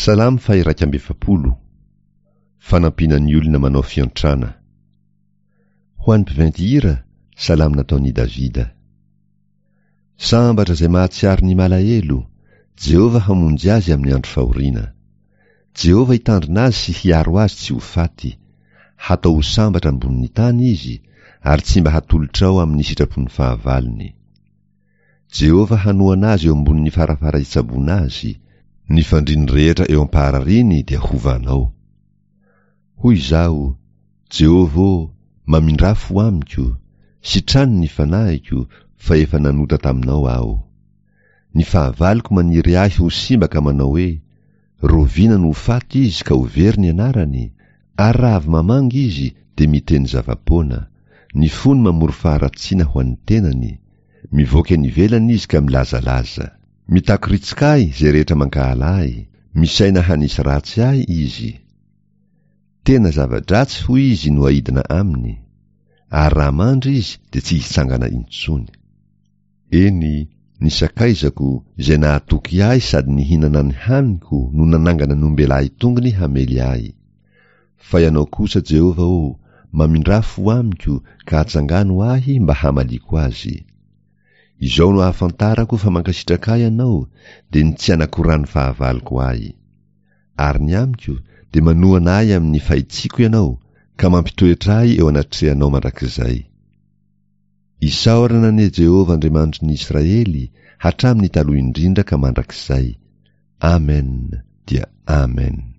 Salamo faha-41, Fanampiana ny olona manao fiantrana. Ho an'ny mpiventy hira, salamo nataon'i Davida. Sambatra izay mahatsiaro ny malahelo, Jehovah hamonjy azy amin'ny andro fahoriana. Jehovah hitandrina azy sy hiaro azy tsy ho faty. Hatao ho sambatra ambonin'ny tany izy, ary tsy mba hatolotrao amin'ny sitrapon'ny fahavalony. Jehovah hanohana azy eo ambonin'ny farafara hitsaboana azy, ny fandriany rehetra eo am-paharariany dia hovanao. Hoy izaho, Jehovah ô, mamindrà fo amiko, sitrano ny fanahiko, fa efa nanota taminao aho. Ny fahavaloko maniry ahy ho simba ka manao hoe, Rovina no ho faty izy ka ho very ny anarany? Ary raha avy mamangy izy dia miteny zava-poana, ny fony mamory faharatsiana ho an'ny tenany, mivoaka eny ivelany izy ka milazalaza. Mitakoritsika ahy izay rehetra mankahala ahy, misaina hanisy ratsy ahy izy. Tena zava-dratsy hoy izy no aidina aminy, ary raha mandry izy dia tsy hitsangana intsony. Eny, ny sakaizako, izay nahatoky ahy sady nihinana ny haniko no nanangana ny ombelahy tongony hamely ahy. Fa Ianao kosa, Jehovah ô, mamindrà fo amiko ka atsangano ahy mba hamaliako azy. Izao no ahafantarako fa mankasitraka ahy Ianao, dia ny tsy anakoran'ny fahavaloko ahy. Ary ny amiko, dia manohana ahy amin'ny fahitsiako Ianao, ka mampitoetra ahy eo anatrehanao mandrakizay. Isaorana anie Jehovah Andriamanitry ny Israely hatramin'ny taloha indrindra ka mandrakizay. Amen dia Amen.